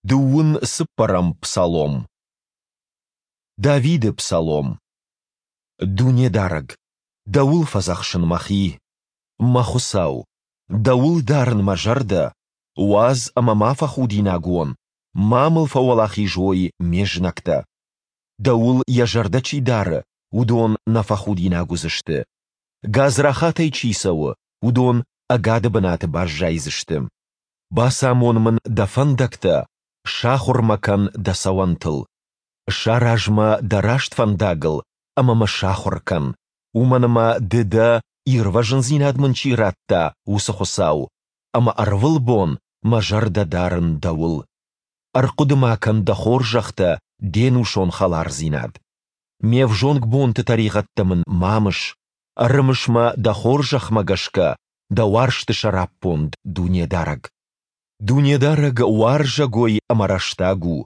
Дыууын цыппӕрӕм псалом. Давиды псалом. Дунедарӕг, Дӕуыл фӕдзӕхсын мӕхи. Мӕ Хуыцау, Дӕуыл дарын мӕ зӕрдӕ, уадз ӕмӕ ма фӕхудинаг уон, ма мыл фӕуӕлахиз уой ме знӕгтӕ. Дӕуыл йӕ зӕрдӕ чи дары, уыдон нӕ фӕхудинаг уыдзысты. Гадзрахатӕй чи цӕуы, уыдон ӕгады бынаты баззайдзысты. Бацамон мын дӕ фӕндӕгтӕ, сахуыр мӕ кӕн дӕ цӕуӕнтыл. Сараз мӕ дӕ раст фӕндагыл ӕмӕ мӕ сахуыр кӕн, уымӕн ӕмӕ ды дӕ, ирвӕзындзинад мын чи радта, уыцы Хуыцау, ӕмӕ ӕрвылбон мӕ зӕрдӕ дарын дӕуыл. Ӕрхъуыды-ма кӕн дӕ хорзӕхтӕ, де нусон хӕлардзинад. Ме взонг бонты тӕригъӕдтӕ мын ма мыс, ӕрымыс мӕ дӕ хорзӕхмӕ гӕсгӕ, дӕ уарзты сӕраппонд, Дунедарӕг. Дунедарӕг уарзӕгой ӕмӕ рӕстаг у,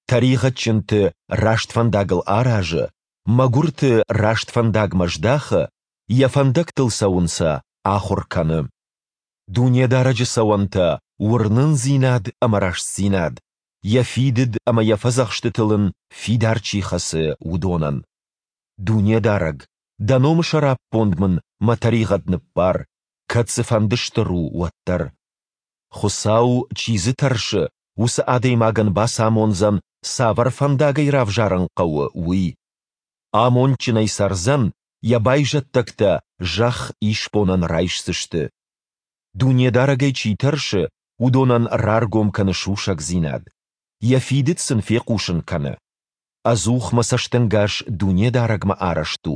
тӕригъӕдджынты раст фӕндагыл аразы, мӕгуырты раст фӕндагмӕ здахы, йӕ фӕндӕгтыл цӕуын сӕ ахуыр кӕны. Дунедарӕджы цӕуӕнтӕ, уырнындзинад ӕмӕ рӕстдзинад, йӕ фидыд ӕмӕ йӕ фӕдзӕхстытыл ын фидар чи хӕцы, уыдонӕн. Дунедарӕг, дӕ номы сӕраппонд мын мӕ тӕригъӕд ныббар, кӕд цыфӕнды стыр у, уӕддӕр. Хуыцау, чи дзы тӕрсы, уыцы адӕймагӕн бацамондзӕн, цавӕр фӕндагӕй равзарын хъӕуы, уый. Амондджынӕй цӕрдзӕн, йӕ байзӕддӕгтӕ зӕхх исбонӕн райсдзысты. Дунедарӕгӕй чи тӕрсы, уыдонӕн раргом кӕны сусӕгдзинад. Йӕ фидыд сын фехъусын кӕны. Ӕдзух мӕ цӕстӕнгас Дунедарӕгмӕ арӕзт у,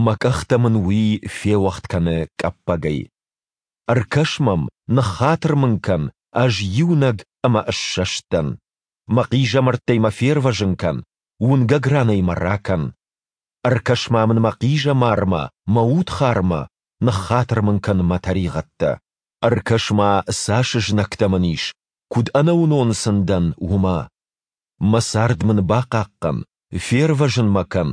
мӕ къӕхтӕ мын Уый феуӕгъд кӕны къӕппӕгӕй. Ӕркӕс мӕм, ныххатыр мын кӕн, ӕз иунӕг ӕмӕ ссӕст дӕн. Мӕ хъизӕмӕрттӕй мӕ фервӕзын кӕн, уынгӕг ранӕй мӕ ракӕн. Ӕркӕс-ма мын мӕ хъизӕмармӕ, мӕ удхармӕ, ныххатыр мын кӕн мӕ тӕригъӕдтӕ. Ӕркӕс-ма, цас знӕгтӕ мын ис, куыд ӕнӕуынон сын дӕн, уымӕ. Мӕ цард мын бахъахъхъӕн, фервӕзын мӕ кӕн,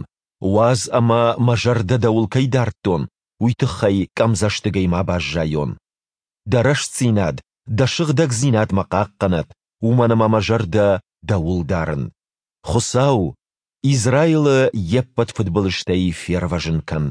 уадз ӕмӕ мӕ зӕрдӕ дӕуыл кӕй дардтон, уый тыххӕй къӕмдзӕстыгӕй ма баззайон. Дӕ рӕстдзинад, дӕ сыгъдӕгдзинад мӕ хъахъхъӕнӕд, уымӕн ӕмӕ мӕ зӕрдӕ дӕуыл дарын. Хуыцау, Израилы йе ппӕт фыдбылызтӕй фервӕзын кӕн.